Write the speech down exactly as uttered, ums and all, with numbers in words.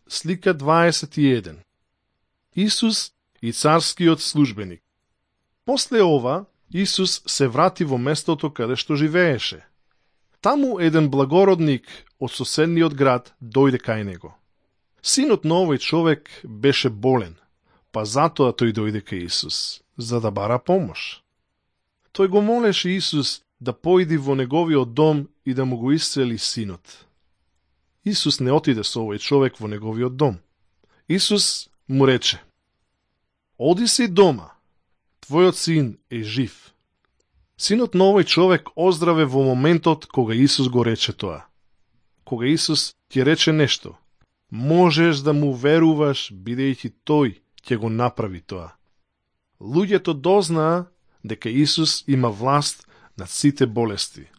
слика дваесет и еден. Исус и царскиот службеник. После ова, Исус се врати во местото каде што живееше. Таму еден благородник од соседниот град дојде кај него. Синот на овој човек беше болен, па затоа тој дојде кај Исус, за да бара помош. Тој го молеше Исус да поиди во неговиот дом и да му го исцели синот. Исус не отиде со овој човек во неговиот дом. Исус му рече: оди си дома, твојот син е жив. Синот на овој човек оздраве во моментот кога Исус го рече тоа. Кога Исус ќе рече нешто, можеш да му веруваш, бидејќи тој ќе го направи тоа. Луѓето дознаа дека Исус има власт над сите болести.